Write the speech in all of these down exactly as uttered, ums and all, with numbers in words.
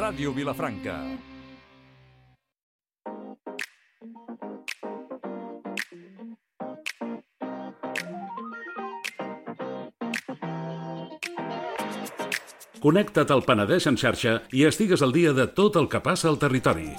Ràdio Vilafranca. Connecta't al Penedès en xarxa i estigues al dia de tot el que passa al territori.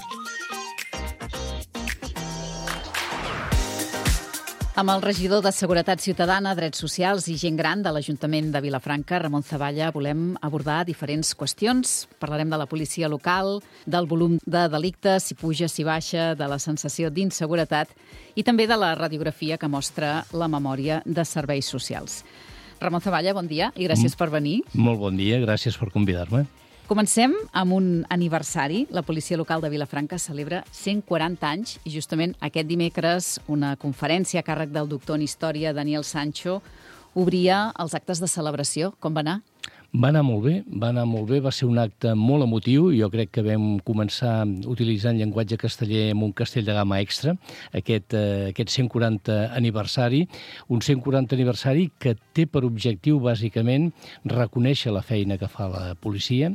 Amb el regidor de Seguretat Ciutadana, Drets Socials i Gent Gran de l'Ajuntament de Vilafranca, Ramon Zavalla, volem abordar diferents qüestions. Parlarem de la policia local, del volum de delictes, si puja, si baixa, de la sensació d'inseguretat i també de la radiografia que mostra la memòria de serveis socials. Ramon Zavalla, bon dia i gràcies per venir. Molt bon dia, gràcies per convidar-me. Comencem amb un aniversari. La policia local de Vilafranca celebra cent quaranta anys i justament aquest dimecres una conferència a càrrec del doctor en història Daniel Sancho obria els actes de celebració. Com va anar? Va anar molt bé, va anar molt bé, va ser un acte molt emotiu. Jo crec que vam començar utilitzant llenguatge casteller amb un castell de gamma extra, aquest, eh, aquest cent quaranta aniversari, un cent quaranta aniversari que té per objectiu, bàsicament, reconèixer la feina que fa la policia,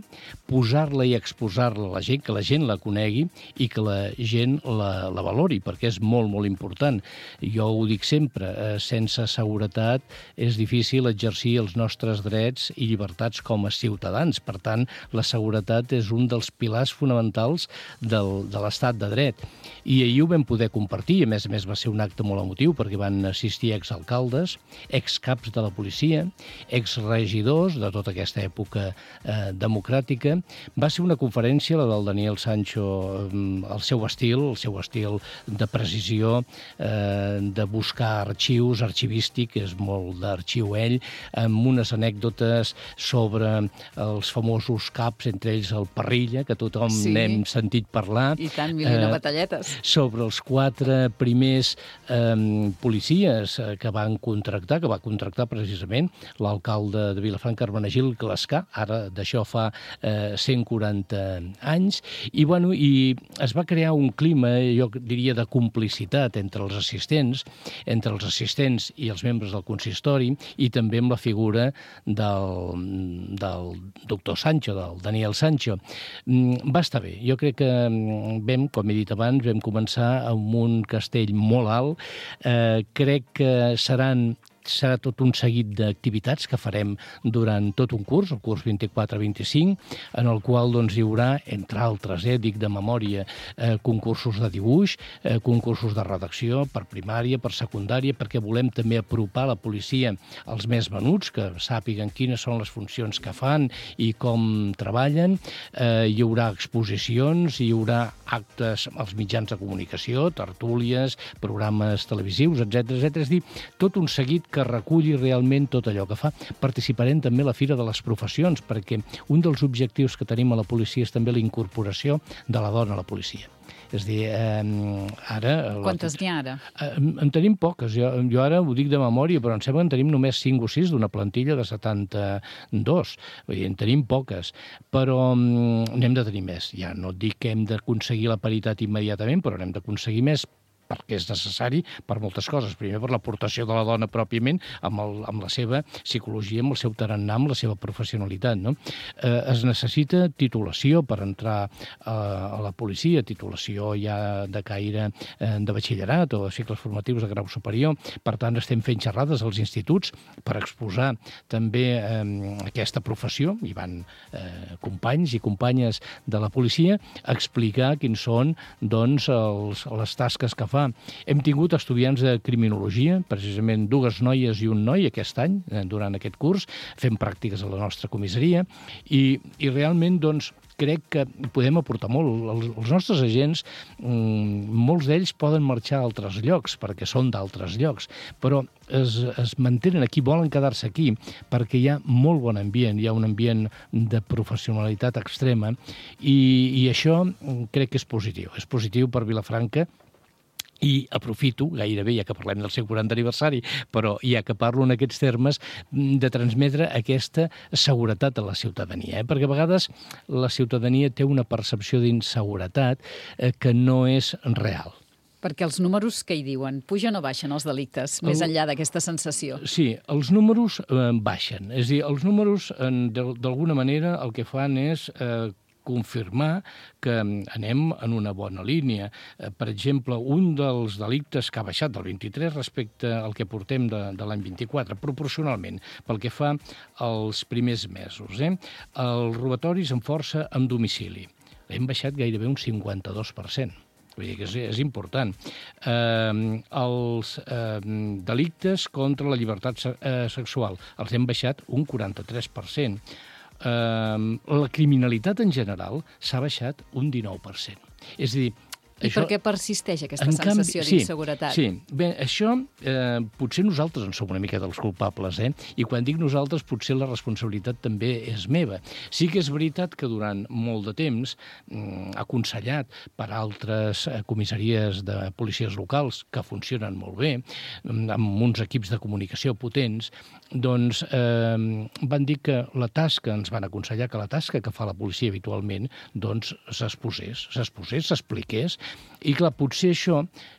posar-la i exposar-la a la gent, que la gent la conegui i que la gent la, la valori, perquè és molt, molt important. Jo ho dic sempre, eh, sense seguretat és difícil exercir els nostres drets i llibertats com a ciutadans. Per tant, la seguretat és un dels pilars fonamentals del, de l'estat de dret. I ahir ho vam poder compartir. A més a més, va ser un acte molt emotiu perquè van assistir exalcaldes, excaps de la policia, exregidors de tota aquesta època eh, democràtica. Va ser una conferència, la del Daniel Sancho, el seu estil, el seu estil de precisió, eh, de buscar arxius, arxivístic, és molt d'arxiu ell, amb unes anècdotes sobre els famosos caps, entre ells el Parrilla, que tothom sí. n'hem sentit parlar. I tant, mil i una batalletes. Sobre els quatre primers eh, policies que van contractar, que va contractar precisament l'alcalde de Vilafranca, Hermenegildo Clascar, ara d'això fa eh, cent quaranta anys, i, bueno, i es va crear un clima, jo diria, de complicitat entre els assistents, entre els assistents i els membres del consistori, i també amb la figura del del doctor Sancho, del Daniel Sancho. Va estar bé. Jo crec que vam, com he dit abans, vam començar amb un castell molt alt. Eh, crec que seran serà tot un seguit d'activitats que farem durant tot un curs, el curs vint-i-quatre vint-i-cinc, en el qual doncs, hi haurà, entre altres, eh, dic de memòria, eh, concursos de dibuix, eh, concursos de redacció per primària, per secundària, perquè volem també apropar la policia als més menuts, que sàpiguen quines són les funcions que fan i com treballen. Eh, hi haurà exposicions, hi haurà actes als mitjans de comunicació, tertúlies, programes televisius, etcètera, etcètera. És a dir, tot un seguit que reculli realment tot allò que fa. Participarem també a la Fira de les Professions, perquè un dels objectius que tenim a la policia és també la incorporació de la dona a la policia. És a dir, eh, ara... Quantes n'hi ha ara? Eh, en tenim poques. Jo, jo ara ho dic de memòria, però em sembla que en tenim només cinc o sis d'una plantilla de setanta-dos. Vull dir, en tenim poques, però mm, n'hem de tenir més. Ja no et dic que hem d'aconseguir la paritat immediatament, però n'hem d'aconseguir més, perquè és necessari per moltes coses. Primer, per l'aportació de la dona pròpiament, amb, el, amb la seva psicologia, amb el seu tarannà, amb la seva professionalitat. No? Eh, es necessita titulació per entrar a, a la policia, titulació ja de caire eh, de batxillerat o de cicles formatius de grau superior. Per tant, estem fent xerrades als instituts per exposar també eh, aquesta professió. Hi van eh, companys i companyes de la policia a explicar quins són doncs, els, les tasques que fa. Hem tingut estudiants de criminologia, precisament dues noies i un noi aquest any, durant aquest curs, fent pràctiques a la nostra comissaria, i, i realment, doncs, crec que podem aportar molt. Els, els nostres agents, mmm, molts d'ells poden marxar a altres llocs, perquè són d'altres llocs, però es, es mantenen aquí, volen quedar-se aquí, perquè hi ha molt bon ambient, hi ha un ambient de professionalitat extrema, i, i això crec que és positiu. És positiu per Vilafranca. I aprofito, gairebé, ja que parlem del cent quaranta aniversari, però ja que parlo en aquests termes, de transmetre aquesta seguretat a la ciutadania. Eh? Perquè a vegades la ciutadania té una percepció d'inseguretat eh, que no és real. Perquè els números què hi diuen? Pugen o baixen els delictes, més El... enllà d'aquesta sensació? Sí, els números eh, baixen. És a dir, els números, eh, d'alguna manera, el que fan és... Eh, confirmar que anem en una bona línia. Per exemple, un dels delictes que ha baixat del vint-i-tres respecte al que portem de, de l'any vint-i-quatre, proporcionalment, pel que fa als primers mesos. Eh? Els robatoris amb força en domicili. Hem baixat gairebé un cinquanta-dos per cent. Vull dir que és, és important. Eh, els eh, delictes contra la llibertat se eh, sexual els hem baixat un quaranta-tres per cent. Eh, la criminalitat en general s'ha baixat un dinou per cent. És a dir, I això, per què persisteix aquesta en sensació canvi, d'inseguretat? Sí, sí. Bé, això eh, potser nosaltres en som una mica dels culpables, eh? I quan dic nosaltres potser la responsabilitat també és meva. Sí que és veritat que durant molt de temps, mm, aconsellat per altres eh, comissaries de policies locals que funcionen molt bé, amb uns equips de comunicació potents, doncs eh, van dir que la tasca, ens van aconsellar que la tasca que fa la policia habitualment, doncs s'exposés, s'exposés, s'expliqués. I clar, potser això,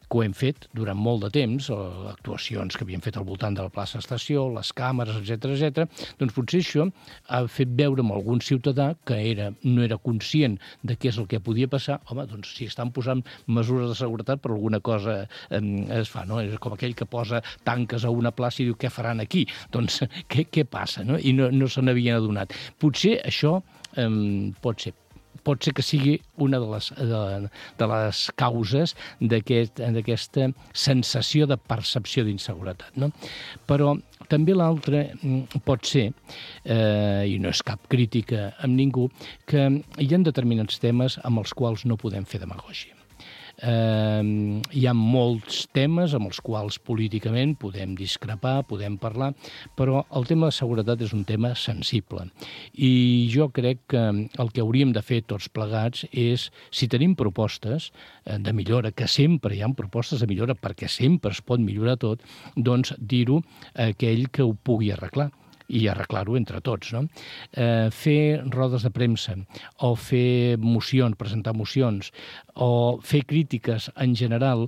que ho hem fet durant molt de temps, actuacions que havíem fet al voltant de la plaça Estació, les càmeres, etcètera, etcètera, doncs potser això ha fet veure amb algun ciutadà que era, no era conscient de què és el que podia passar. Home, doncs si estan posant mesures de seguretat, per alguna cosa eh, es fa, no? És com aquell que posa tanques a una plaça i diu què faran aquí? Doncs què, què passa, no? I no, no se n'havien adonat. Potser això eh, pot ser pot ser que sigui una de les, de, de les causes d'aquesta aquest, sensació de percepció d'inseguretat. No? Però també l'altre pot ser, eh, i no és cap crítica amb ningú, que hi ha determinats temes amb els quals no podem fer demagògia. Eh, hi ha molts temes amb els quals políticament podem discrepar, podem parlar, però el tema de seguretat és un tema sensible. I jo crec que el que hauríem de fer tots plegats és, si tenim propostes de millora, que sempre hi ha propostes de millora perquè sempre es pot millorar tot, doncs dir-ho a aquell que ho pugui arreglar i arreglar-ho entre tots. No? Eh, fer rodes de premsa o fer mocions, presentar mocions o fer crítiques en general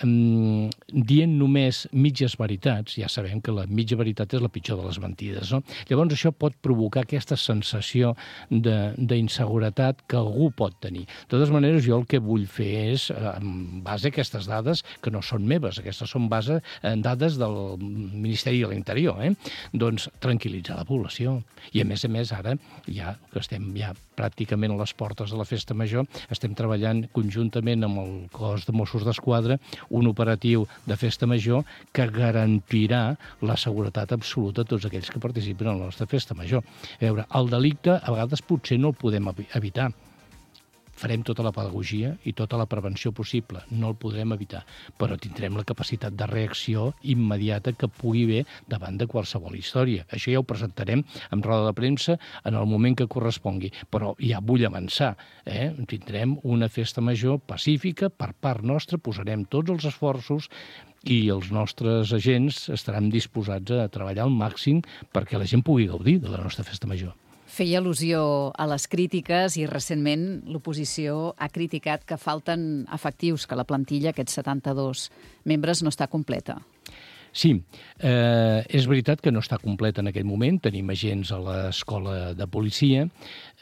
eh, dient només mitges veritats, ja sabem que la mitja veritat és la pitjor de les mentides. No? Llavors això pot provocar aquesta sensació d'inseguretat que algú pot tenir. De totes maneres, jo el que vull fer és, en base a aquestes dades, que no són meves, aquestes són base en dades del Ministeri de l'Interior, eh? doncs tranquil·litzar la població. I a més a més ara, ja que estem ja pràcticament a les portes de la Festa Major, estem treballant conjuntament amb el cos de Mossos d'Esquadra un operatiu de Festa Major que garantirà la seguretat absoluta a tots aquells que participen en la nostra Festa Major. A veure, el delicte a vegades potser no el podem evitar. Farem tota la pedagogia i tota la prevenció possible, no el podrem evitar, però tindrem la capacitat de reacció immediata que pugui haver davant de qualsevol història. Això ja ho presentarem en roda de premsa en el moment que correspongui, però ja vull avançar. Eh? Tindrem una festa major pacífica per part nostra, posarem tots els esforços i els nostres agents estaran disposats a treballar al màxim perquè la gent pugui gaudir de la nostra festa major. Feia al·lusió a les crítiques i recentment l'oposició ha criticat que falten efectius, que la plantilla, aquests setanta-dos membres, no està completa. Sí, eh, és veritat que no està completa en aquest moment. Tenim agents a l'escola de policia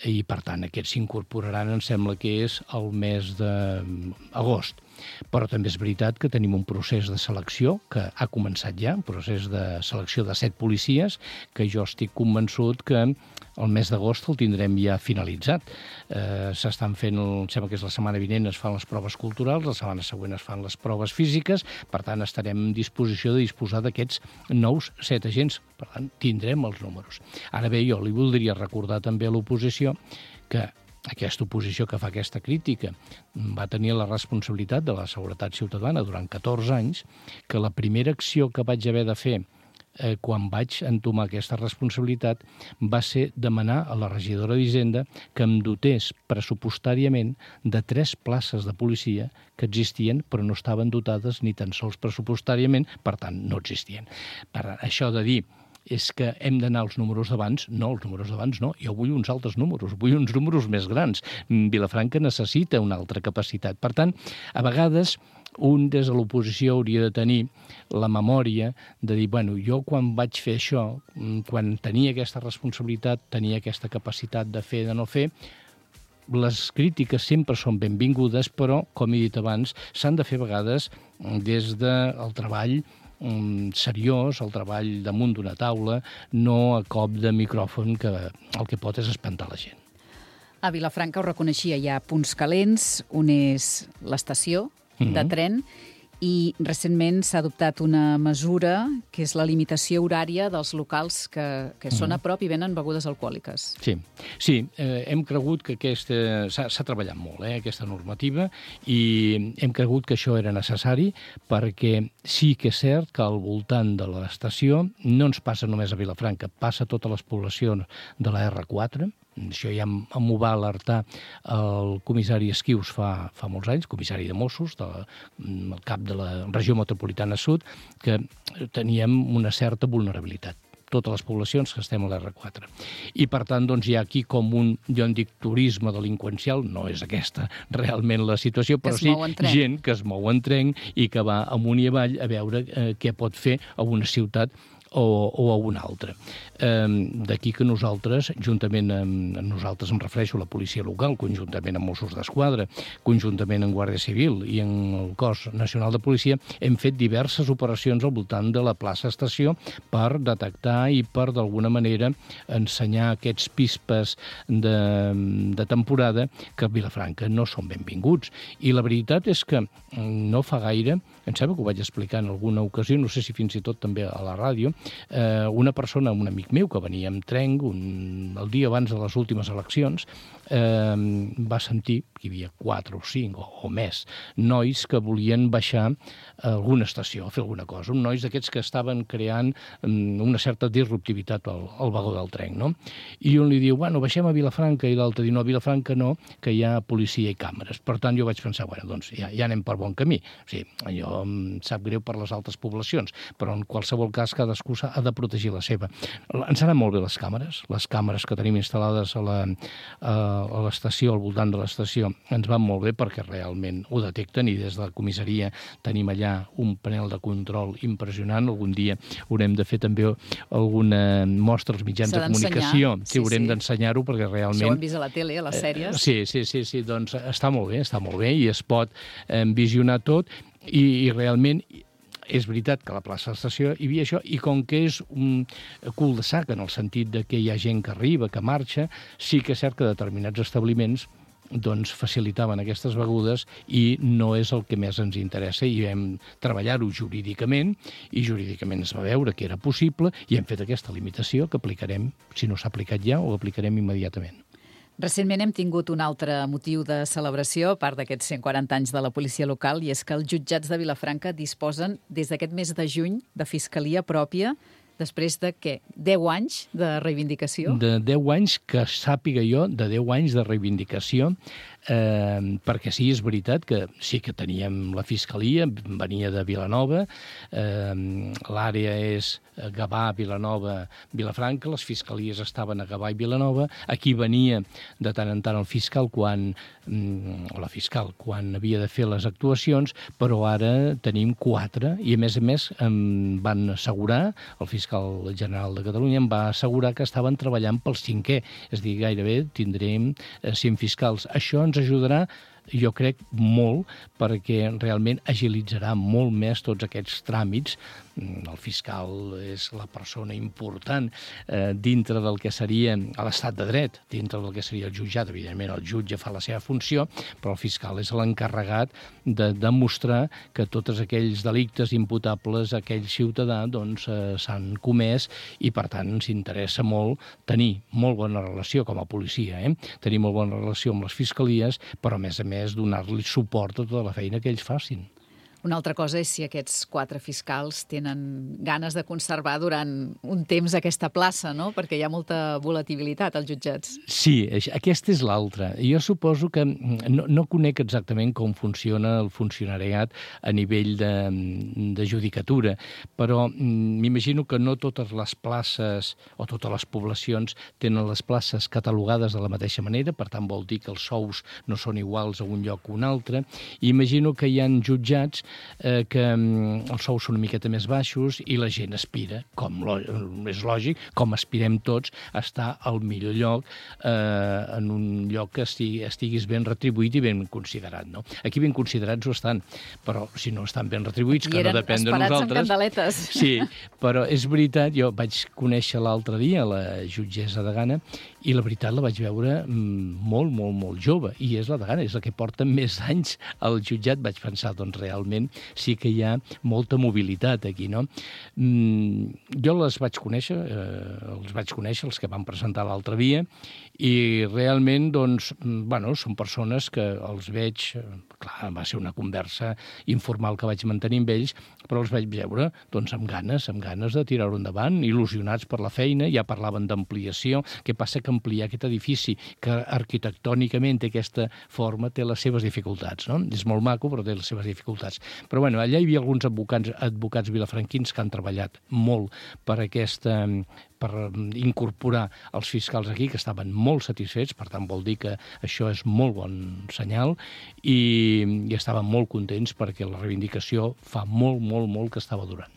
i, per tant, aquests s'incorporaran, em sembla que és el mes d'agost. Però també és veritat que tenim un procés de selecció que ha començat ja, un procés de selecció de set policies, que jo estic convençut que el mes d'agost el tindrem ja finalitzat. Eh, s'estan fent, em sembla que és la setmana vinent, es fan les proves culturals, la setmana següent es fan les proves físiques, per tant estarem en disposició de disposar d'aquests nous set agents, per tant tindrem els números. Ara bé, jo li voldria recordar també a l'oposició que aquesta oposició que fa aquesta crítica va tenir la responsabilitat de la seguretat ciutadana durant catorze anys, que la primera acció que vaig haver de fer eh, quan vaig entomar aquesta responsabilitat va ser demanar a la regidora d'Hisenda que em dotés pressupostàriament de tres places de policia que existien però no estaven dotades ni tan sols pressupostàriament, per tant no existien. Per això de dir és que hem d'anar als números d'abans. No, els números d'abans no. Jo vull uns altres números, vull uns números més grans. Vilafranca necessita una altra capacitat. Per tant, a vegades un des de l'oposició hauria de tenir la memòria de dir, bueno, jo quan vaig fer això, quan tenia aquesta responsabilitat, tenia aquesta capacitat de fer, de no fer, les crítiques sempre són benvingudes, però, com he dit abans, s'han de fer a vegades des del treball seriós, el treball damunt d'una taula, no a cop de micròfon, que el que pot és espantar la gent. A Vilafranca ho reconeixia, hi ha punts calents, un és l'estació de mm-hmm. tren, i recentment s'ha adoptat una mesura que és la limitació horària dels locals que, que són a prop i venen begudes alcohòliques. Sí, sí eh, hem cregut que aquesta... S'ha treballat molt, eh, aquesta normativa, i hem cregut que això era necessari perquè sí que és cert que al voltant de l'estació no ens passa només a Vilafranca, passa a totes les poblacions de la erre quatre. Això ja m'ho va alertar el comissari Esquius fa, fa molts anys, comissari de Mossos, del de, cap de la regió metropolitana sud, que teníem una certa vulnerabilitat. Totes les poblacions que estem a l'erre quatre. I, per tant, doncs, hi ha aquí com un, jo en dic, turisme delinqüencial, no és aquesta realment la situació, però sí gent que es mou en tren i que va amunt i avall a veure eh, què pot fer a una ciutat o, o a una altra. Eh, D'aquí que nosaltres, juntament amb nosaltres, em refereixo a la policia local, conjuntament amb Mossos d'Esquadra, conjuntament amb Guàrdia Civil i en el cos nacional de policia, hem fet diverses operacions al voltant de la plaça Estació per detectar i per, d'alguna manera, ensenyar aquests pispes de, de temporada que a Vilafranca no són benvinguts. I la veritat és que no fa gaire, em sembla que ho vaig explicar en alguna ocasió, no sé si fins i tot també a la ràdio, eh, una persona, un amic meu, que venia amb tren un, el dia abans de les últimes eleccions, eh, va sentir que hi havia quatre o cinc o, o més nois que volien baixar a alguna estació a fer alguna cosa, uns nois d'aquests que estaven creant um, una certa disruptivitat al, al vagó del tren, no? I un li diu, bueno, baixem a Vilafranca, i l'altre diu, no, a Vilafranca no, que hi ha policia i càmeres. Per tant, jo vaig pensar, bueno, doncs ja, ja anem per bon camí. O sigui, allò em sap greu per les altres poblacions, però en qualsevol cas cadascú ha de protegir la seva. Ens anen molt bé les càmeres, les càmeres que tenim instal·lades a la, a l'estació, al voltant de l'estació, ens van molt bé perquè realment ho detecten, i des de la comissaria tenim allà un panel de control impressionant. Algun dia haurem de fer també alguna mostra als mitjans de comunicació. Sí, sí, haurem sí. d'ensenyar-ho perquè realment... Això ho hem vist a la tele, a les sèries. Eh, sí, sí, sí, sí, doncs està molt bé, està molt bé, i es pot eh, visionar tot, i, i realment... És veritat que a la plaça de l'estació hi havia això, i com que és un cul de sac en el sentit de que hi ha gent que arriba, que marxa, sí que és cert que determinats establiments doncs facilitaven aquestes begudes, i no és el que més ens interessa, i vam treballar-ho jurídicament, i jurídicament es va veure que era possible, i hem fet aquesta limitació que aplicarem, si no s'ha aplicat ja, o aplicarem immediatament. Recentment hem tingut un altre motiu de celebració, a part d'aquests cent quaranta anys de la policia local, i és que els jutjats de Vilafranca disposen, des d'aquest mes de juny, de fiscalia pròpia, després de, què, deu anys de reivindicació? De deu anys, que sàpiga jo, de deu anys de reivindicació, eh, perquè sí, és veritat que sí que teníem la fiscalia, venia de Vilanova, eh, l'àrea és Gavà, Vilanova, Vilafranca, les fiscalies estaven a Gavà i Vilanova, aquí venia de tant en tant el fiscal quan, o la fiscal, quan havia de fer les actuacions, però ara tenim quatre, i a més a més em van assegurar, el fiscal general de Catalunya em va assegurar que estaven treballant pel cinquè, és a dir, gairebé tindrem cent fiscals. Això ens ajudarà, jo crec, molt, perquè realment agilitzarà molt més tots aquests tràmits. El fiscal és la persona important eh, dintre del que seria l'estat de dret, dintre del que seria el jutjat. Evidentment, el jutge fa la seva funció, però el fiscal és l'encarregat de demostrar que tots aquells delictes imputables a aquell ciutadà doncs, eh, s'han comès, i per tant ens interessa molt tenir molt bona relació com a policia, eh? tenir molt bona relació amb les fiscalies, però a més a més donar-li suport a tota la feina que ells facin. Una altra cosa és si aquests quatre fiscals tenen ganes de conservar durant un temps aquesta plaça, no? Perquè hi ha molta volatilitat als jutjats. Sí, aquesta és l'altra. Jo suposo que no, no conec exactament com funciona el funcionariat a nivell de, de judicatura, però m'imagino que no totes les places o totes les poblacions tenen les places catalogades de la mateixa manera, per tant vol dir que els sous no són iguals a un lloc o un altre. I imagino que hi ha jutjats eh, que mm, els sous són una miqueta més baixos i la gent aspira, com lo, és lògic, com aspirem tots, a estar al millor lloc, eh, en un lloc que estigui, estiguis ben retribuït i ben considerat. No? Aquí ben considerats ho estan, però si no estan ben retribuïts, que no depèn de nosaltres... I eren esperats amb candeletes. Sí, però és veritat, jo vaig conèixer l'altre dia la jutgessa de Gana i la veritat la vaig veure molt, molt, molt jove, i és la de Gana, és la que porta més anys al jutjat. Vaig pensar, doncs realment sí que hi ha molta mobilitat aquí, no? Mm, jo les vaig conèixer, eh, els vaig conèixer, els que van presentar l'altre dia, i realment, doncs, bueno, són persones que els veig, clar, va ser una conversa informal que vaig mantenir amb ells, però els vaig veure, doncs, amb ganes, amb ganes de tirar-ho endavant, il·lusionats per la feina, ja parlaven d'ampliació. Què passa? Que ampliar aquest edifici, que arquitectònicament té aquesta forma, té les seves dificultats, no? És molt maco, però té les seves dificultats. Però, bueno, allà hi havia alguns advocats, advocats vilafranquins que han treballat molt per aquesta per incorporar els fiscals aquí, que estaven molt satisfets, per tant vol dir que això és molt bon senyal, i, i estaven molt contents perquè la reivindicació fa molt, molt, molt que estava durant.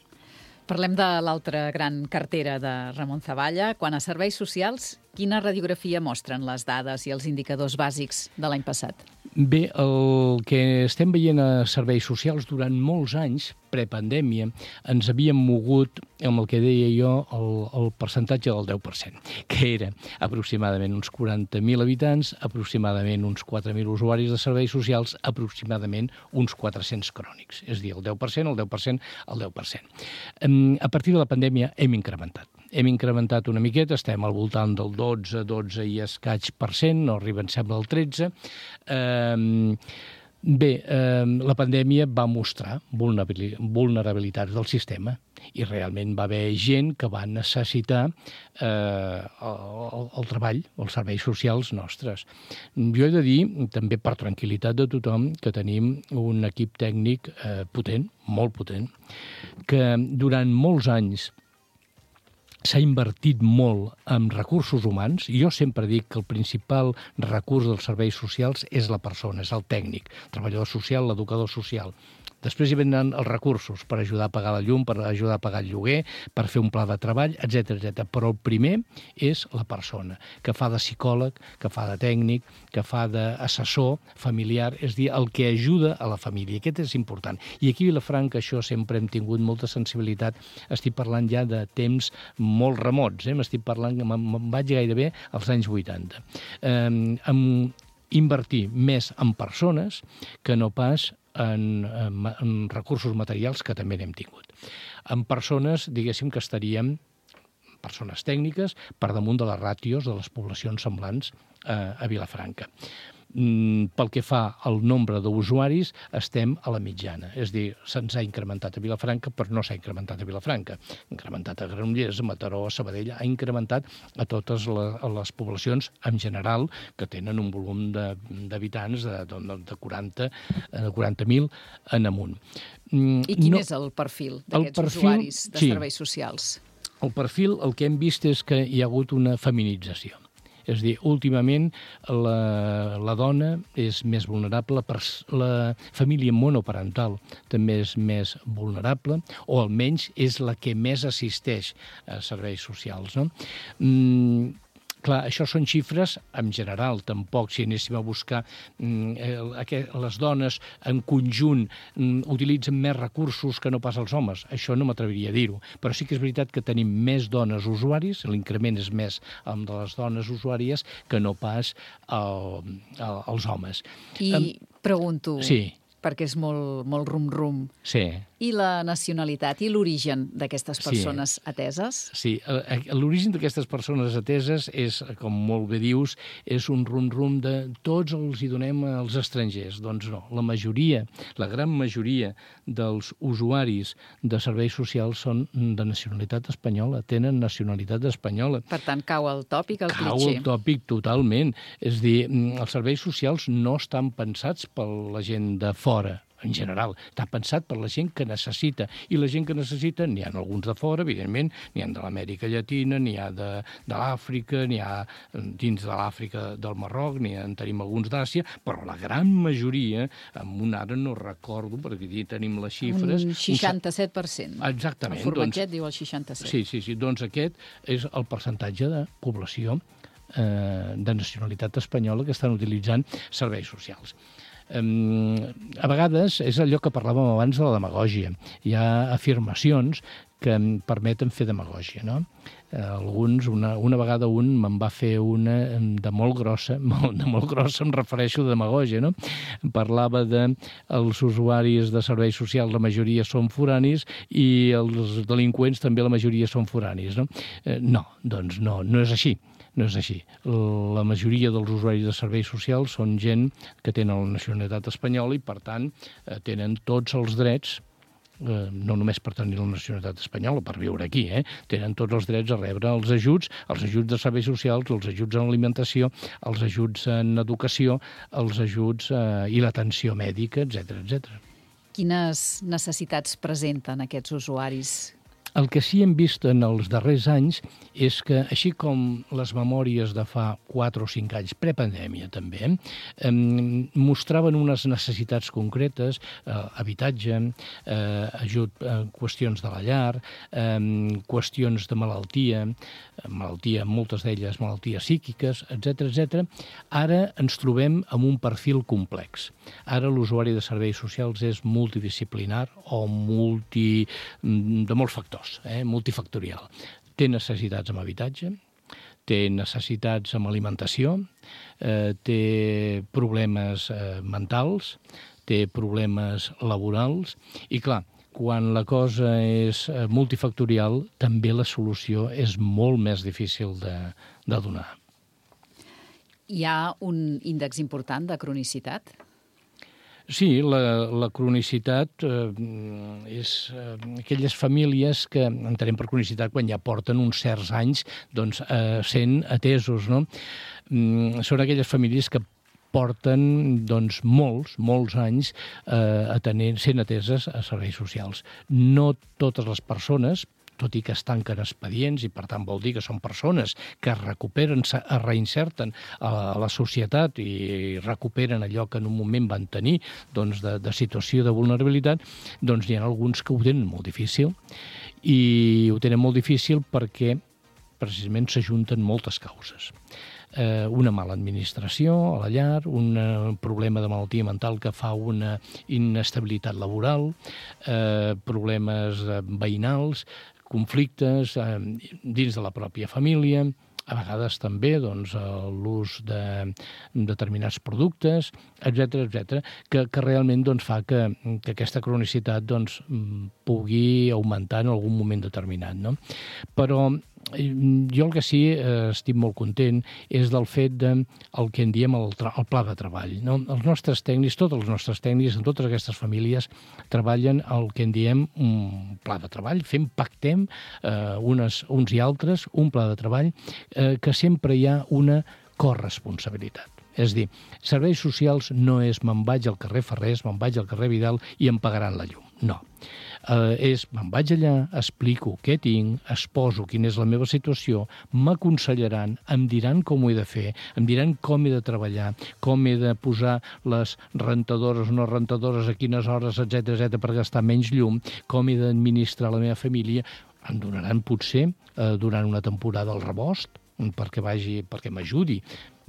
Parlem de l'altra gran cartera de Ramon Zavalla. Quan a serveis socials, quina radiografia mostren les dades i els indicadors bàsics de l'any passat? Bé, el que estem veient a serveis socials durant molts anys, prepandèmia, ens havíem mogut amb el que deia jo el, el percentatge del deu per cent, que era aproximadament uns quaranta mil habitants, aproximadament uns quatre mil usuaris de serveis socials, aproximadament uns quatre-cents crònics. És a dir, el deu per cent, el deu per cent, el deu per cent. A partir de la pandèmia hem incrementat. Hem incrementat una miqueta, estem al voltant del dotze, dotze i escaig per cent, no arriben, sembla, al tretze. Eh, bé, eh, la pandèmia va mostrar vulnerabilitats del sistema i realment va haver gent que va necessitar eh, el, el treball, els serveis socials nostres. Jo he de dir, també per tranquil·litat de tothom, que tenim un equip tècnic eh, potent, molt potent, que durant molts anys s'ha invertit molt en recursos humans. Jo sempre dic que el principal recurs dels serveis socials és la persona, és el tècnic, el treballador social, l'educador social. Després hi venen els recursos per ajudar a pagar la llum, per ajudar a pagar el lloguer, per fer un pla de treball, etcètera, etcètera. Però el primer és la persona, que fa de psicòleg, que fa de tècnic, que fa d'assessor familiar, és a dir, el que ajuda a la família. Aquest és important. I aquí a Vilafranca això sempre hem tingut molta sensibilitat. Estic parlant ja de temps molt remots, eh? M'estic parlant, me'n vaig gairebé als anys vuitanta. Eh, amb invertir més en persones que no pas En, en, en recursos materials, que també n'hem tingut. En persones, diguéssim, que estaríem, persones tècniques, per damunt de les ràtios de les poblacions semblants eh, a Vilafranca. Mm, pel que fa al nombre d'usuaris, estem a la mitjana. És a dir, se'ns ha incrementat a Vilafranca, però no s'ha incrementat a Vilafranca. Ha incrementat a Granollers, a Mataró, a Sabadell, ha incrementat a totes les, a les poblacions en general que tenen un volum d'habitants de, de, de quaranta de quaranta mil en amunt. Mm, I quin no, és el perfil d'aquests usuaris de sí, serveis socials? El perfil, el que hem vist és que hi ha hagut una feminització. És a dir, últimament la, la dona és més vulnerable, per la família monoparental també és més vulnerable, o almenys és la que més assisteix a serveis socials, no? Mm, clar, això són xifres en general, tampoc si anéssim a buscar eh, les dones en conjunt mm, utilitzen més recursos que no pas els homes. Això no m'atreviria a dir-ho, però sí que és veritat que tenim més dones usuaris, l'increment és més amb de les dones usuàries que no pas el, el, els homes. I um, pregunto, sí. perquè és molt, molt rum-rum, sí. I la nacionalitat i l'origen d'aquestes persones sí. ateses? Sí, l'origen d'aquestes persones ateses és, com molt bé dius, és un rum-rum de tots els hi donem als estrangers. Doncs no, la majoria, la gran majoria dels usuaris de serveis socials són de nacionalitat espanyola, tenen nacionalitat espanyola. Per tant, cau el tòpic, el cau clitxer. Cau el tòpic totalment. És a dir, els serveis socials no estan pensats per la gent de fora. en general, està pensat per la gent que necessita, i la gent que necessita n'hi ha alguns de fora, evidentment, n'hi ha de l'Amèrica Llatina, n'hi ha de, de l'Àfrica, n'hi ha dins de l'Àfrica del Marroc, n'hi ha, en tenim alguns d'Àsia, però la gran majoria, amb un ara no recordo, perquè aquí tenim les xifres... Un seixanta-set per cent. Exactament. El formatget doncs, diu el seixanta-set. Sí, sí, sí, doncs aquest és el percentatge de població eh, de nacionalitat espanyola que estan utilitzant serveis socials. Um, a vegades és allò que parlàvem abans de la demagògia. Hi ha afirmacions que em permeten fer demagògia, no? Eh, alguns, una, una vegada un me'n va fer una de molt grossa, molt, de molt grossa em refereixo a demagògia, no? Parlava de els usuaris de serveis socials, la majoria són foranis, i els delinqüents també la majoria són foranis, no? Eh, no, doncs no, no és així. No és així. La majoria dels usuaris de serveis socials són gent que tenen la nacionalitat espanyola i, per tant, tenen tots els drets, no només per tenir la nacionalitat espanyola, per viure aquí, eh? Tenen tots els drets a rebre els ajuts, els ajuts de serveis socials, els ajuts en alimentació, els ajuts en educació, els ajuts eh, i l'atenció mèdica, etcètera, etcètera. Quines necessitats presenten aquests usuaris? El que sí hem vist en els darrers anys és que, així com les memòries de fa quatre o cinc anys, prepandèmia també, eh, mostraven unes necessitats concretes, eh, habitatge, eh, ajut, eh, qüestions de la llar, eh, qüestions de malaltia, malaltia, moltes d'elles malalties psíquiques, etcètera, etcètera. Ara ens trobem amb un perfil complex. Ara l'usuari de serveis socials és multidisciplinar o multi, de molts factors, eh, multifactorial. Té necessitats amb habitatge, té necessitats amb alimentació, eh, té problemes eh, mentals, té problemes laborals i, clar, quan la cosa és multifactorial, també la solució és molt més difícil de, de donar. Hi ha un índex important de cronicitat? Sí, la, la cronicitat eh, és eh, aquelles famílies que entenem per cronicitat quan ja porten uns certs anys doncs, eh, sent atesos, no? Mm, són aquelles famílies que porten doncs, molts, molts anys eh, atenent, sent ateses a serveis socials. No totes les persones, tot i que es tanquen expedients, i per tant vol dir que són persones que es recuperen, es reinserten a la, a la societat i recuperen allò que en un moment van tenir doncs, de, de situació de vulnerabilitat, doncs hi ha alguns que ho tenen molt difícil, i ho tenen molt difícil perquè precisament s'ajunten moltes causes. Eh, una mala administració a la llar, un problema de malaltia mental que fa una inestabilitat laboral, eh, problemes veïnals, conflictes eh, dins de la pròpia família, a vegades també doncs, l'ús de determinats productes, etcètera, etcètera, que, que realment doncs, fa que, que aquesta cronicitat doncs, pugui augmentar en algun moment determinat, no? Però jo el que sí eh, estic molt content és del fet del de, que en diem el, el pla de treball. No? Els nostres tècnics, tots els nostres tècnics, en totes aquestes famílies, treballen el que en diem un pla de treball, fem, pactem eh, unes, uns i altres, un pla de treball eh, que sempre hi ha una corresponsabilitat. És a dir, serveis socials no és me'n vaig al carrer Ferrers, me'n vaig al carrer Vidal i em pagaran la llum. No. Eh, és, me'n vaig allà, explico què tinc, exposo quina és la meva situació, m'aconsellaran, em diran com ho he de fer, em diran com he de treballar, com he de posar les rentadores o no rentadores, a quines hores, etcètera, etcètera, per gastar menys llum, com he d'administrar la meva família. Em donaran, potser, eh, durant una temporada el rebost, perquè vagi, perquè m'ajudi,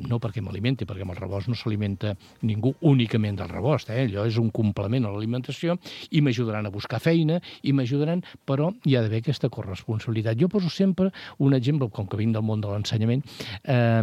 no perquè m'alimenti, perquè amb el rebost no s'alimenta ningú únicament del rebost, eh? Allò és un complement a l'alimentació, i m'ajudaran a buscar feina, i m'ajudaran, però hi ha d'haver aquesta corresponsabilitat. Jo poso sempre un exemple, com que vinc del món de l'ensenyament, eh,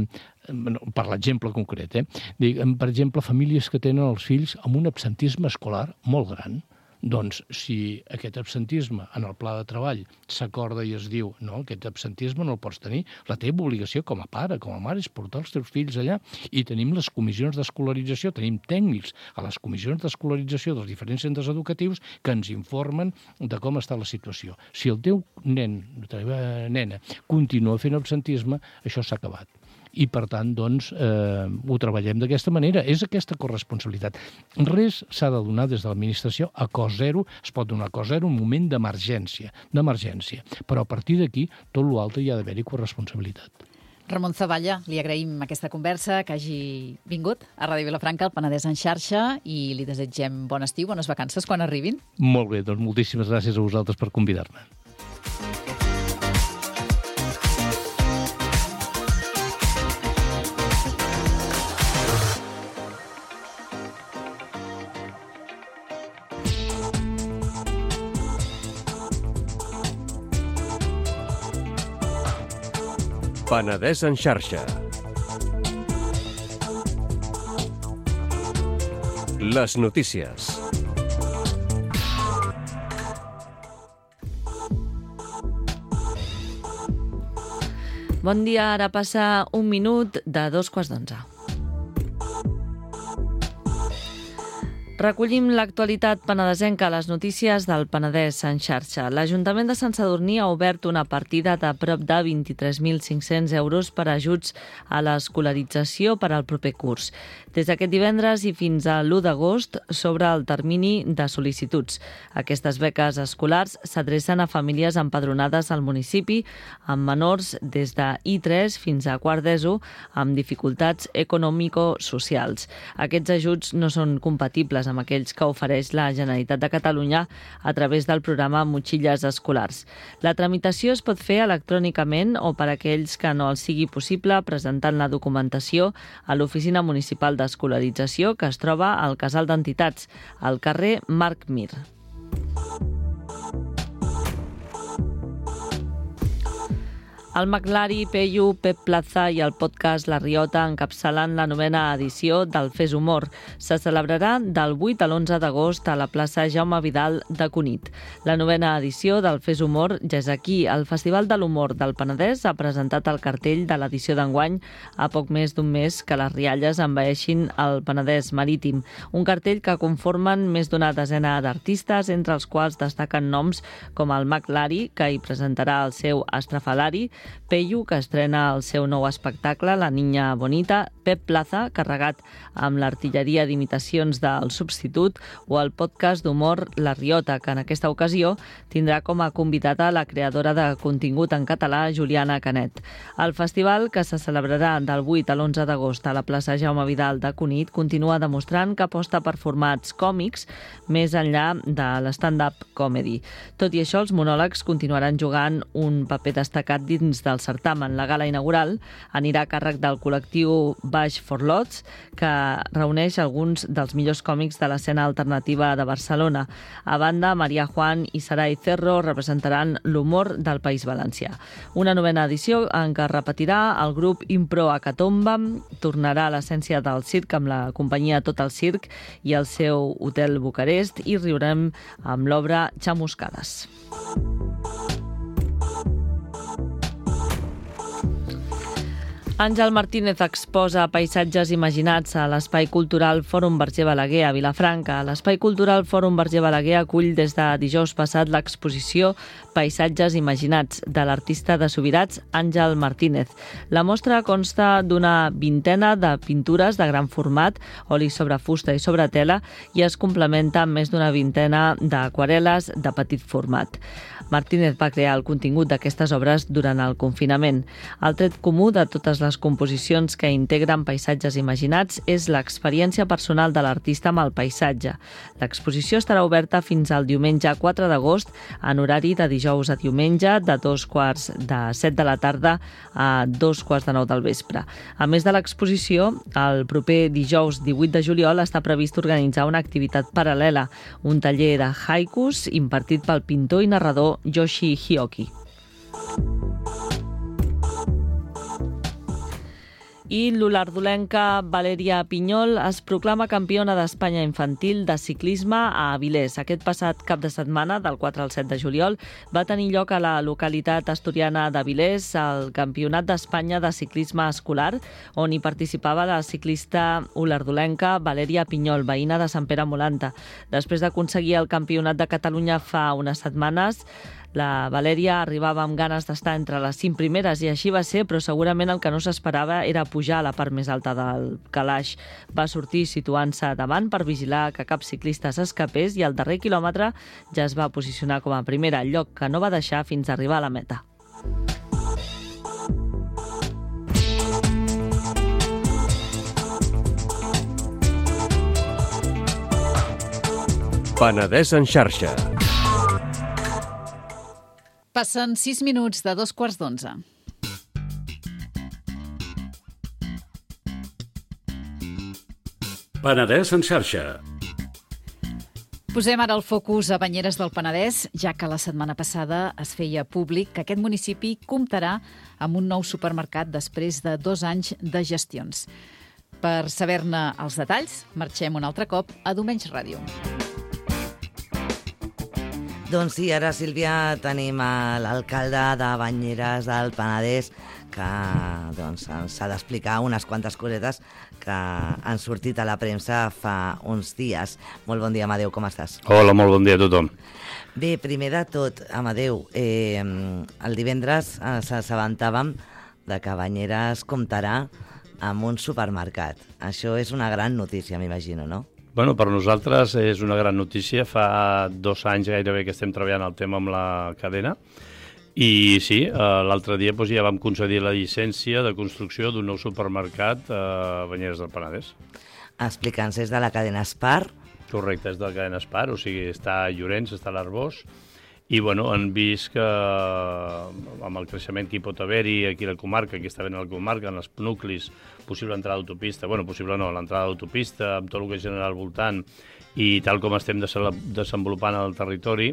per l'exemple concret, eh? Dic, per exemple, famílies que tenen els fills amb un absentisme escolar molt gran. Doncs, si aquest absentisme en el pla de treball s'acorda i es diu no, aquest absentisme no el pots tenir, la teva obligació com a pare, com a mare, és portar els teus fills allà. I tenim les comissions d'escolarització, tenim tècnics a les comissions d'escolarització dels diferents centres educatius que ens informen de com està la situació. Si el teu nen, la teva nena, continua fent absentisme, això s'ha acabat. i, per tant, doncs, eh, ho treballem d'aquesta manera. És aquesta corresponsabilitat. Res s'ha de donar des de l'administració a cost zero, es pot donar a cost zero un moment d'emergència, d'emergència. Però a partir d'aquí, tot l'altre hi ha d'haver-hi corresponsabilitat. Ramon Zavalla, li agraïm aquesta conversa, que hagi vingut a Ràdio Vilafranca, al Penedès en xarxa, i li desitgem bon estiu, bones vacances quan arribin. Molt bé, doncs moltíssimes gràcies a vosaltres per convidar-me. Penedès en xarxa. Les notícies. Bon dia, ara passa un minut de dos quarts d'onze. Recollim l'actualitat penedesenca a les notícies del Penedès en xarxa. L'Ajuntament de Sant Sadurní ha obert una partida de prop de vint-i-tres mil cinc-cents euros per a ajuts a l'escolarització per al proper curs. Des d'aquest divendres i fins a l'u d'agost s'obre el termini de sol·licituds. Aquestes beques escolars s'adrecen a famílies empadronades al municipi amb menors des de I tres fins a quart d'ESO amb dificultats econòmico-socials. Aquests ajuts no són compatibles amb aquells que ofereix la Generalitat de Catalunya a través del programa Motxilles Escolars. La tramitació es pot fer electrònicament o per a aquells que no els sigui possible presentant la documentació a l'Oficina Municipal d'Escolarització que es troba al Casal d'Entitats, al carrer Marc Mir. El McLari, Peyu, Pep Plaza i el podcast La Riota encapçalen la novena edició del Fes Humor. Se celebrarà del vuit a l'onze d'agost a la plaça Jaume Vidal de Cunit. La novena edició del Fes Humor ja és aquí. El Festival de l'Humor del Penedès ha presentat el cartell de l'edició d'enguany a poc més d'un mes que les rialles envaeixin el Penedès marítim. Un cartell que conformen més d'una desena d'artistes, entre els quals destaquen noms com el McLari, que hi presentarà el seu Estrafalari, Peyu, que estrena el seu nou espectacle, La Niña Bonita, Pep Plaza, carregat amb l'artilleria d'imitacions del Substitut, o el podcast d'humor La Riota, que en aquesta ocasió tindrà com a convidada la creadora de contingut en català, Juliana Canet. El festival, que se celebrarà del vuit a l'onze d'agost a la plaça Jaume Vidal de Cunit, continua demostrant que aposta per formats còmics més enllà de l'stand-up comedy. Tot i això, els monòlegs continuaran jugant un paper destacat dins del certamen. La gala inaugural anirà a càrrec del col·lectiu Baix for Lots, que reuneix alguns dels millors còmics de l'escena alternativa de Barcelona. A banda, Maria Juan i Sarai Cerro representaran l'humor del País Valencià. Una novena edició en què repetirà el grup Impro Acatomba, tornarà a l'essència del circ amb la companyia Tot el Circ i el seu Hotel Bucarest, i riurem amb l'obra Chamuscades. Àngel Martínez exposa paisatges imaginats a l'Espai Cultural Fòrum Verger Balaguer a Vilafranca. L'Espai Cultural Fòrum Verger Balaguer acull des de dijous passat l'exposició Paisatges imaginats de l'artista de Subirats, Àngel Martínez. La mostra consta d'una vintena de pintures de gran format, oli sobre fusta i sobre tela, i es complementa amb més d'una vintena d'aquarel·les de petit format. Martínez va crear el contingut d'aquestes obres durant el confinament. El tret comú de totes les composicions que integren paisatges imaginats és l'experiència personal de l'artista amb el paisatge. L'exposició estarà oberta fins al diumenge quatre d'agost en horari de dijous a diumenge de dos quarts de set de la tarda a dos quarts de nou del vespre. A més de l'exposició, el proper dijous divuit de juliol està previst organitzar una activitat paral·lela, un taller de haikus impartit pel pintor i narrador Yoshi Hioki. I l'olardolenca Valèria Pinyol es proclama campiona d'Espanya infantil de ciclisme a Avilés. Aquest passat cap de setmana, del quatre al set de juliol, va tenir lloc a la localitat asturiana d'Avilés el Campionat d'Espanya de ciclisme escolar, on hi participava la ciclista olardolenca Valèria Pinyol, veïna de Sant Pere Molanta. Després d'aconseguir el Campionat de Catalunya fa unes setmanes, La Valèria arribava amb ganes d'estar entre les cinc primeres i així va ser, però segurament el que no s'esperava era pujar a la part més alta del calaix. Va sortir situant-se davant per vigilar que cap ciclista s'escapés i al darrer quilòmetre ja es va posicionar com a primera, lloc que no va deixar fins a arribar a la meta. Penedès en xarxa. Passen sis minuts de dos quarts d'onze. Penedès en xarxa. Posem ara el focus a Banyeres del Penedès, ja que la setmana passada es feia públic que aquest municipi comptarà amb un nou supermercat després de dos anys de gestions. Per saber-ne els detalls, marxem un altre cop a Domenys Ràdio. Doncs sí, ara, Sílvia, tenim l'alcalde de Banyeres del Penedès que doncs, ens ha d'explicar unes quantes cosetes que han sortit a la premsa fa uns dies. Molt bon dia, Amadeu, com estàs? Hola, molt bon dia a tothom. Bé, primer de tot, Amadeu, eh, el divendres eh, s'assabentàvem de que Banyeres comptarà amb un supermercat. Això és una gran notícia, m'imagino, no? Bueno, per nosaltres és una gran notícia. Fa dos anys gairebé que estem treballant el tema amb la cadena i sí, l'altre dia doncs, ja vam concedir la llicència de construcció d'un nou supermercat a Banyeres del Penedès. Explica'ns, és de la cadena Spar? Correcte, és de la cadena Spar, o sigui, està a Llorenç, està a l'Arboç, i bueno, han vist que amb el creixement que hi pot haver-hi aquí a la comarca, aquí està ben a la comarca, en els nuclis, possible entrada d'autopista, bueno, possible no, l'entrada d'autopista, amb tot el que genera al voltant, i tal com estem desenvolupant el territori,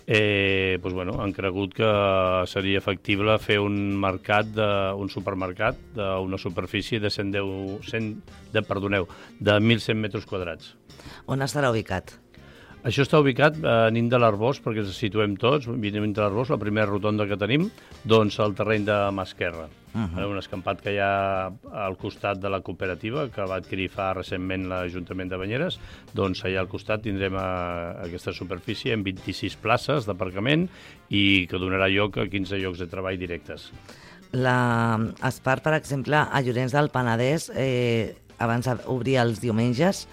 eh, doncs, bueno, han cregut que seria factible fer un mercat, de, un supermercat d'una superfície de cent deu, cent, de, perdoneu, de mil cent metres quadrats. On estarà ubicat? Això està ubicat a Nin de l'Arboç, perquè ens situem tots, Nin de l'Arboç, la primera rotonda que tenim, doncs al terreny de mà esquerra. Uh -huh. Un escampat que hi ha al costat de la cooperativa, que va adquirir fa recentment l'Ajuntament de Banyeres, doncs allà al costat tindrem a, a aquesta superfície amb vint-i-sis places d'aparcament i que donarà lloc a quinze llocs de treball directes. La Spar, per exemple, a Llorenç del Penedès, eh, abans obria els diumenges,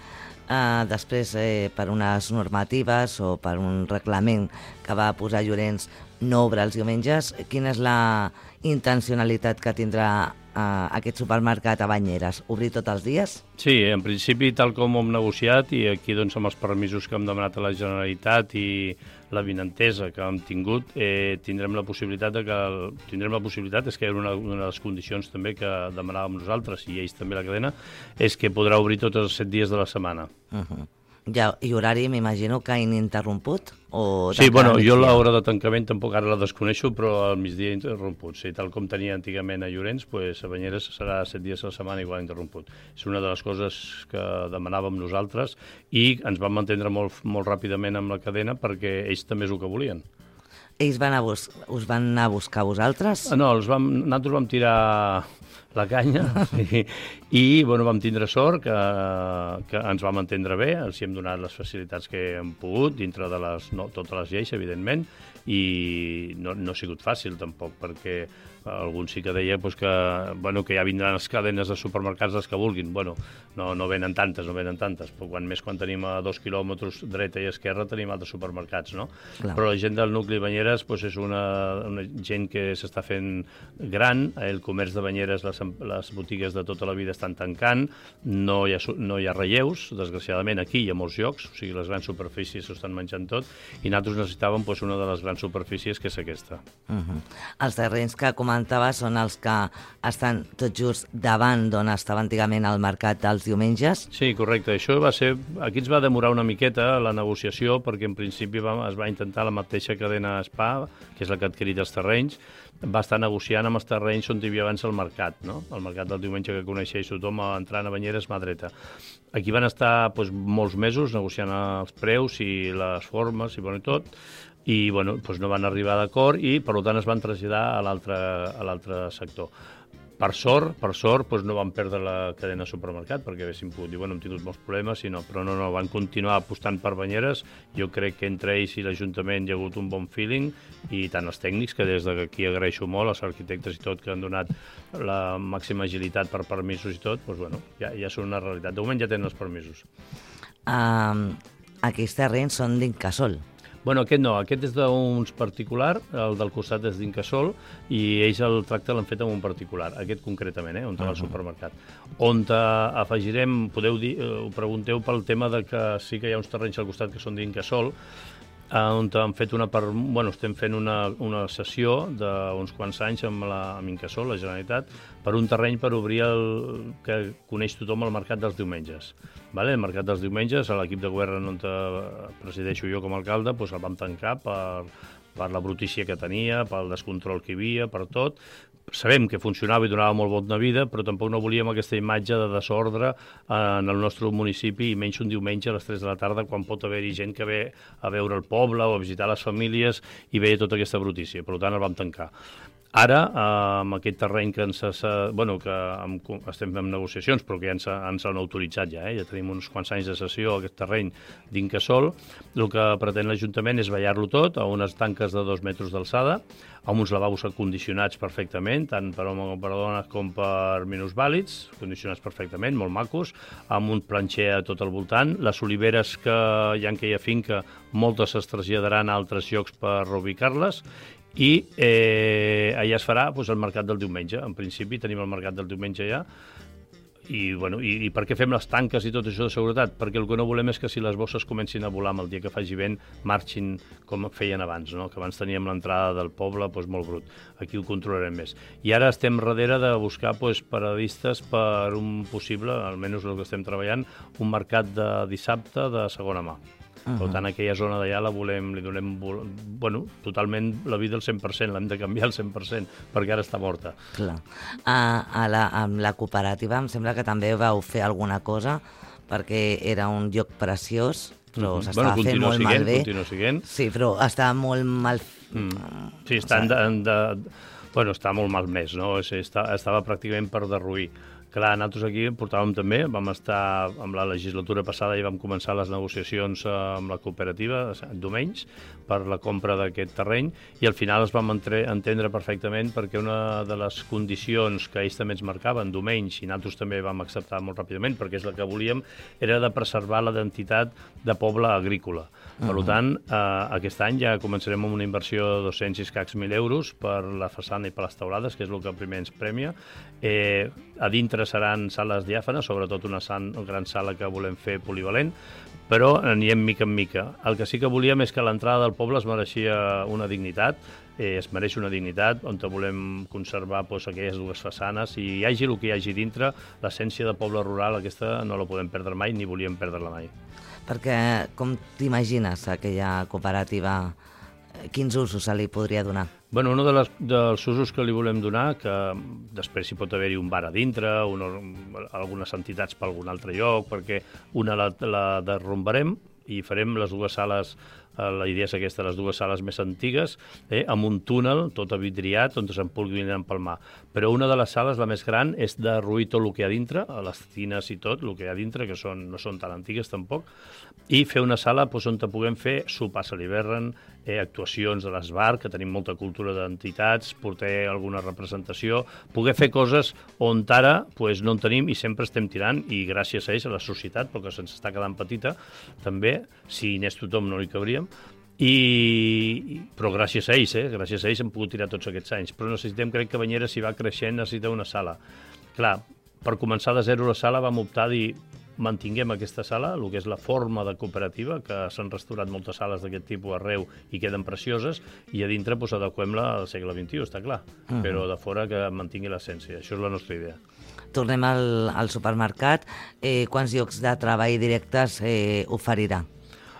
Uh, després, eh, per unes normatives o per un reglament que va posar Llorenç, no obre els diumenges. Quina és la intencionalitat que tindrà uh, aquest supermercat a Banyeres? Obrir tots els dies? Sí, en principi, tal com ho hem negociat, i aquí doncs, amb els permisos que hem demanat a la Generalitat i la vinentesa que hem tingut, eh, tindrem la possibilitat de que el, tindrem la possibilitat, és que era una, una de les condicions també que demanàvem nosaltres i ells també la cadena, és que podrà obrir tots els set dies de la setmana. Uh-huh. Ja, i horari m'imagino que ininterromput? O sí, bueno, jo l'hora de tancament tampoc ara la desconeixo, però al migdia interromput. Sí, tal com tenia antigament a Llorenç, pues, a Banyeres serà set dies a la setmana igual interromput. És una de les coses que demanàvem nosaltres i ens vam entendre molt, molt ràpidament amb la cadena perquè ells també és el que volien. Ells van a bus us van anar a buscar a vosaltres? No, els vam, nosaltres vam tirar la canya i, i bueno, vam tindre sort que, que ens vam entendre bé, els hem donat les facilitats que hem pogut dintre de les, no, totes les lleis, evidentment, i no, no ha sigut fàcil tampoc, perquè algun sí que deia pues, que, bueno, que ja vindran les cadenes de supermercats les que vulguin. Bueno, no, no venen tantes, no venen tantes, però quan més quan tenim a dos quilòmetres dreta i esquerra tenim altres supermercats, no? Clar. Però la gent del nucli Banyeres pues, és una, una gent que s'està fent gran, el comerç de Banyeres, les, les botigues de tota la vida estan tancant, no hi ha, no hi ha relleus, desgraciadament aquí hi ha molts llocs, o sigui, les grans superfícies s'ho estan menjant tot, i nosaltres necessitàvem pues, una de les grans superfícies, que és aquesta. Uh-huh. Els terrenys que comentava són els que estan tot just davant d'on estava antigament el mercat dels diumenges? Sí, correcte. Això va ser... Aquí ens va demorar una miqueta la negociació, perquè en principi va, es va intentar la mateixa cadena Spa, que és la que ha adquirit els terrenys, va estar negociant amb els terrenys on hi havia abans el mercat, no? El mercat del diumenge que coneixeix tothom, entrant a Banyeres, mà dreta. Aquí van estar doncs, molts mesos negociant els preus i les formes i bueno, tot, i bueno, doncs no van arribar d'acord i per tant es van traslladar a l'altre a l'altre sector. Per sort, per sort, doncs no van perdre la cadena supermercat, perquè haguessin pogut dir, bueno, hem tingut molts problemes, sinó, però no, no, van continuar apostant per banyeres. Jo crec que entre ells i l'Ajuntament hi ha hagut un bon feeling, i tant els tècnics, que des d'aquí agraeixo molt, els arquitectes i tot, que han donat la màxima agilitat per permisos i tot, doncs, bueno, ja, ja són una realitat. De moment ja tenen els permisos. Um, aquests terrenys són d'Incasòl. Bueno, aquest no, aquest és d'uns particular, el del costat és d'Incasòl, i ells el tracte l'han fet amb un particular, aquest concretament, eh, on uh -huh. va al supermercat. On afegirem, podeu dir, ho pregunteu pel tema de que sí que hi ha uns terrenys al costat que són d'Incasòl, on han fet una per, bueno, estem fent una, una sessió d'uns quants anys amb, la, amb Incasòl, la Generalitat, per un terreny per obrir el que coneix tothom el mercat dels diumenges. Vale? El mercat dels diumenges, l'equip de govern on presideixo jo com a alcalde, doncs el vam tancar per, per la brutícia que tenia, pel descontrol que hi havia, per tot. Sabem que funcionava i donava molt bona vida, però tampoc no volíem aquesta imatge de desordre en el nostre municipi, i menys un diumenge a les tres de la tarda, quan pot haver-hi gent que ve a veure el poble o a visitar les famílies i veia tota aquesta brutícia. Per tant, el vam tancar. Ara, amb aquest terreny que ens bueno, que estem en negociacions, però que ja ens, ens han autoritzat ja, eh? Ja tenim uns quants anys de sessió a aquest terreny d'Incasòl, el que pretén l'Ajuntament és ballar-lo tot a unes tanques de dos metres d'alçada, amb uns lavabos condicionats perfectament, tant per homes com per dones com per minusvàlids, condicionats perfectament, molt macos, amb un planxer a tot el voltant. Les oliveres que hi ha en aquella finca, moltes es traslladaran a altres llocs per reubicar-les, i eh, allà es farà doncs, el mercat del diumenge. En principi tenim el mercat del diumenge ja. I, bueno, i, i per què fem les tanques i tot això de seguretat? Perquè el que no volem és que si les bosses comencin a volar amb el dia que faci vent, marxin com feien abans, no? Que abans teníem l'entrada del poble doncs, molt brut. Aquí ho controlarem més. I ara estem darrere de buscar doncs, paradistes per un possible, almenys el que estem treballant, un mercat de dissabte de segona mà. Uh-huh. Per tant, aquella zona d'allà la volem, li donem, bueno, totalment la vida al cent per cent, l'hem de canviar al cent per cent, perquè ara està morta. Clar. A, a la, amb la cooperativa em sembla que també vau fer alguna cosa, perquè era un lloc preciós, però uh-huh. s'estava bueno, fent molt siguent, mal bé. Continua siguent. Sí, però estava molt mal... Mm. Sí, està, o sigui... de, de, bueno, està molt malmès, no? O sigui, està, estava pràcticament per derruir. Clar, nosaltres aquí portàvem també, vam estar amb la legislatura passada i vam començar les negociacions amb la cooperativa, Domenys, per la compra d'aquest terreny, i al final es vam entre, entendre perfectament, perquè una de les condicions que ells també ens marcaven, Domenys, i nosaltres també vam acceptar molt ràpidament, perquè és el que volíem, era de preservar la identitat de poble agrícola. Per uh-huh. tant, eh, aquest any ja començarem amb una inversió de dos-cents i escacs mil euros per la façana i per les teulades, que és el que primer ens premia. Eh, a dintre seran sales diàfanes, sobretot una, san, una gran sala que volem fer polivalent, però anirem mica en mica. El que sí que volíem és que l'entrada del poble es mereixia una dignitat, eh, es mereix una dignitat, on volem conservar doncs, aquelles dues façanes, i hi hagi el que hi hagi dintre, l'essència de poble rural aquesta no la podem perdre mai, ni volíem perdre-la mai. Perquè com t'imagines aquella cooperativa? Quins usos se li podria donar? Bueno, un de les, dels usos que li volem donar, que després hi pot haver-hi un bar a dintre, una, algunes entitats per algun altre lloc, perquè una la, la derrumbarem i farem les dues sales, la idea és aquesta, les dues sales més antigues, eh, amb un túnel tot vidriat on se'n pugui empalmar. Però una de les sales, la més gran, és derruir tot el que hi ha dintre, les tines i tot, el que hi ha dintre, que són, no són tan antigues tampoc, i fer una sala doncs, on puguem fer sopars a l'hivern, eh, actuacions a l'esbar, que tenim molta cultura d'entitats, portar alguna representació, poder fer coses on ara doncs, no en tenim i sempre estem tirant, i gràcies a ells, a la societat, perquè se'ns està quedant petita, també, si n'és tothom no hi cabríem, I, però gràcies a ells, eh? gràcies a ells hem pogut tirar tots aquests anys. Però necessitem, crec que Banyeres, si va creixent, necessita una sala. Clar, per començar de zero la sala vam optar a dir mantinguem aquesta sala, el que és la forma de cooperativa, que s'han restaurat moltes sales d'aquest tipus arreu i queden precioses, i a dintre pues, adequem-la al segle vint-i-u, està clar, uh-huh. però de fora que mantingui l'essència. Això és la nostra idea. Tornem al, al supermercat. Eh, quants llocs de treball directes eh, oferirà?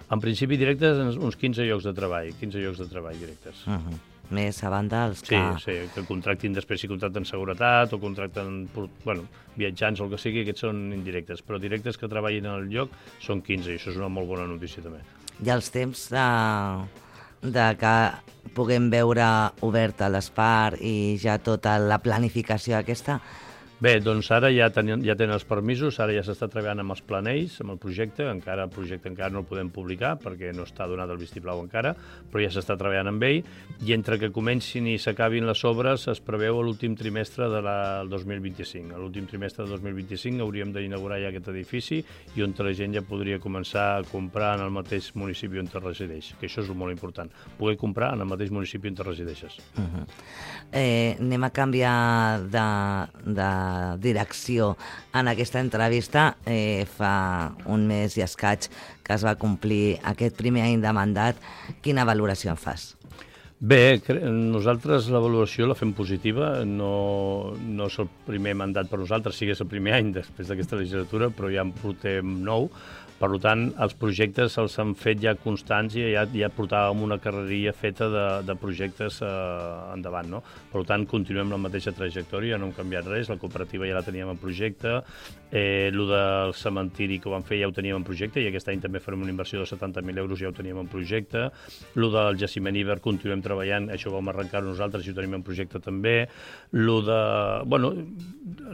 En principi directes, uns quinze llocs de treball, quinze llocs de treball directes. Uh-huh. Més a banda els que... Sí, sí, que contractin després, si contracten seguretat o contracten bueno, viatjants o el que sigui, aquests són indirectes, però directes que treballin al lloc són quinze, i això és una molt bona notícia també. I els temps de, de que puguem veure oberta l'Espart i ja tota la planificació aquesta? Bé, doncs ara ja tenen, ja tenen els permisos, ara ja s'està treballant amb els planells, amb el projecte, encara el projecte encara no el podem publicar perquè no està donat el vistiplau encara, però ja s'està treballant amb ell, i entre que comencin i s'acabin les obres es preveu l'últim trimestre del dos mil vint-i-cinc. A l'últim trimestre del dos mil vint-i-cinc hauríem d'inaugurar ja aquest edifici i on la gent ja podria començar a comprar en el mateix municipi on resideix, que això és molt important, poder comprar en el mateix municipi on resideixes. Uh-huh. eh, anem a canviar de, de direcció en aquesta entrevista. Eh, fa un mes i escaig que es va complir aquest primer any de mandat. Quina valoració en fas? Bé, nosaltres la valoració la fem positiva, no, no és el primer mandat per nosaltres, sí que és el primer any després d'aquesta legislatura, però ja en portem nou. Per tant, els projectes els han fet ja constants i ja, ja portàvem una carreria feta de, de projectes eh, endavant, no? Per tant, continuem la mateixa trajectòria, no hem canviat res, la cooperativa ja la teníem en projecte, eh, el del cementiri que ho vam fer ja ho teníem en projecte i aquest any també farem una inversió de setanta mil euros, ja ho teníem en projecte, el del jaciment Iber continuem treballant, això ho vam arrencar nosaltres i ho tenim en projecte també, el de... Bueno,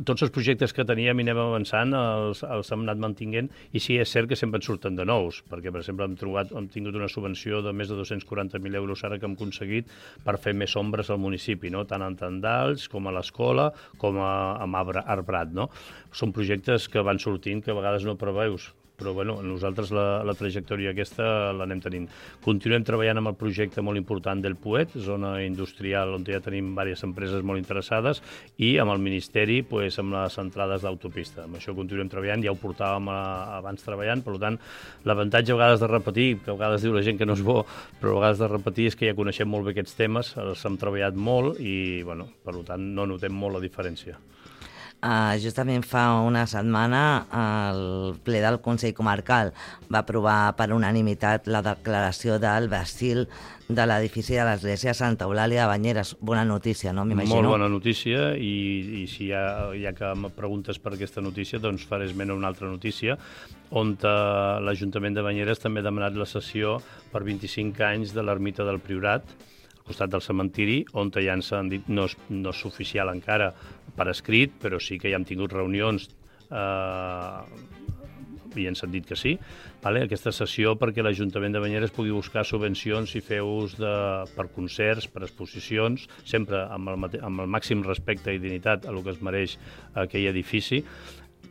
tots els projectes que teníem i anem avançant els, els hem anat mantinguent i sí, és cert que sempre en surten de nous, perquè, per exemple, hem, trobat, hem tingut una subvenció de més de dos-cents quaranta mil euros ara que hem aconseguit per fer més ombres al municipi, no? Tant en Tendals com a l'escola com a, a Arbrat, no? Són projectes que van sortint que a vegades no preveus, però bueno, nosaltres la, la trajectòria aquesta l'anem tenint. Continuem treballant amb el projecte molt important del Puet, zona industrial on ja tenim diverses empreses molt interessades, i amb el Ministeri, pues, amb les entrades d'autopista. Amb això continuem treballant, ja ho portàvem a, abans treballant, per tant, l'avantatge a vegades de repetir, que a vegades diu la gent que no és bo, però a vegades de repetir és que ja coneixem molt bé aquests temes, els hem treballat molt i, bueno, per tant, no notem molt la diferència. Uh, justament fa una setmana el ple del Consell Comarcal va aprovar per unanimitat la declaració del vestil de l'edifici de l'església Santa Eulàlia de Banyeres. Bona notícia, no? M'imagino. Molt bona notícia, i, i si ja, ja que em preguntes per aquesta notícia, doncs faré esment a una altra notícia, on uh, l'Ajuntament de Banyeres també ha demanat la cessió per vint-i-cinc anys de l'ermita del Priorat, al costat del cementiri, on ja ens han dit, no és, no és oficial encara per escrit, però sí que ja hem tingut reunions eh, i ens han dit que sí, vale? Aquesta sessió perquè l'Ajuntament de Banyeres pugui buscar subvencions i fer ús de, per concerts, per exposicions, sempre amb el, amb el màxim respecte i dignitat a el que es mereix aquell edifici,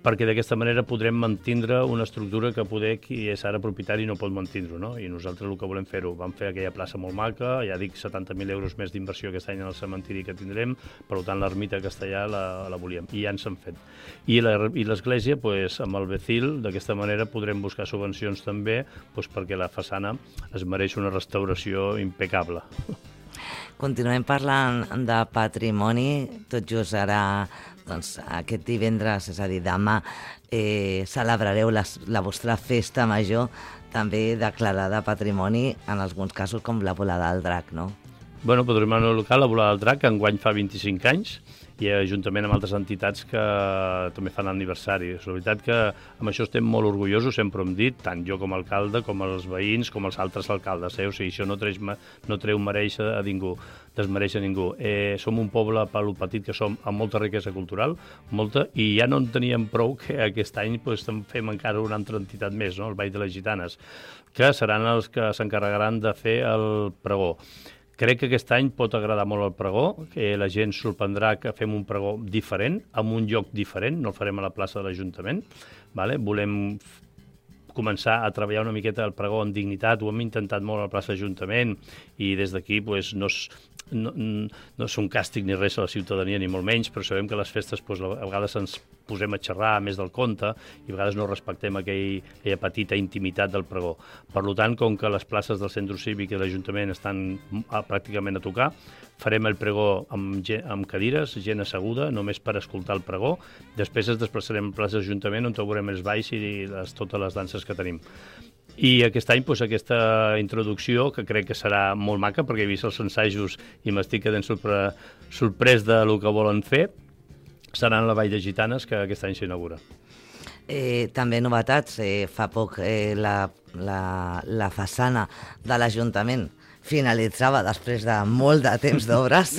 perquè d'aquesta manera podrem mantindre una estructura que poder qui és ara propietari no pot mantindre, no? I nosaltres el que volem fer-ho, vam fer aquella plaça molt maca, ja dic setanta mil euros més d'inversió aquest any en el cementiri que tindrem, per tant l'ermita castellà la, la volíem, i ja ens han fet. I l'església, pues, amb el Becil, d'aquesta manera podrem buscar subvencions també, pues, perquè la façana es mereix una restauració impecable. Continuem parlant de patrimoni, tot just ara, doncs, aquest divendres, és a dir, demà, eh, celebrareu les, la vostra festa major, també declarada patrimoni, en alguns casos com la volada del drac, no? Bueno, patrimoni local, la volada del drac, enguany fa vint-i-cinc anys, i juntament amb altres entitats que també fan l'aniversari. És la veritat que amb això estem molt orgullosos, sempre hem dit, tant jo com a alcalde, com els veïns, com els altres alcaldes. Eh? O sigui, això no, treix, no treu mereix a ningú, desmereix a ningú. Eh, som un poble, per lo petit que som, amb molta riquesa cultural, molta, i ja no en teníem prou que aquest any pues, fem encara una altra entitat més, no? El Ball de les Gitanes, que seran els que s'encarregaran de fer el pregó. Crec que aquest any pot agradar molt el pregó, que la gent sorprendrà que fem un pregó diferent, en un lloc diferent, no el farem a la plaça de l'Ajuntament. Vale? Volem començar a treballar una miqueta el pregó en dignitat, ho hem intentat molt a la plaça de l'Ajuntament i des d'aquí pues, no, és, no, no és un càstig ni res a la ciutadania, ni molt menys, però sabem que les festes pues, a vegades ens posem a xerrar més del compte i a vegades no respectem aquell, aquella petita intimitat del pregó. Per tant, com que les places del centre cívic i de l'Ajuntament estan a, pràcticament a tocar, farem el pregó amb, amb cadires, gent asseguda, només per escoltar el pregó. Després ens desplaçarem a plaça de l'Ajuntament on veurem els balls i les, totes les danses que tenim. I aquest any, doncs, aquesta introducció, que crec que serà molt maca, perquè he vist els ensajos i m'estic quedant sorpre... sorprès del que volen fer, serà en la Vall de Gitanes, que aquest any s'inaugura. Eh, també novetats. Eh, fa poc eh, la, la, la façana de l'Ajuntament finalitzava després de molt de temps d'obres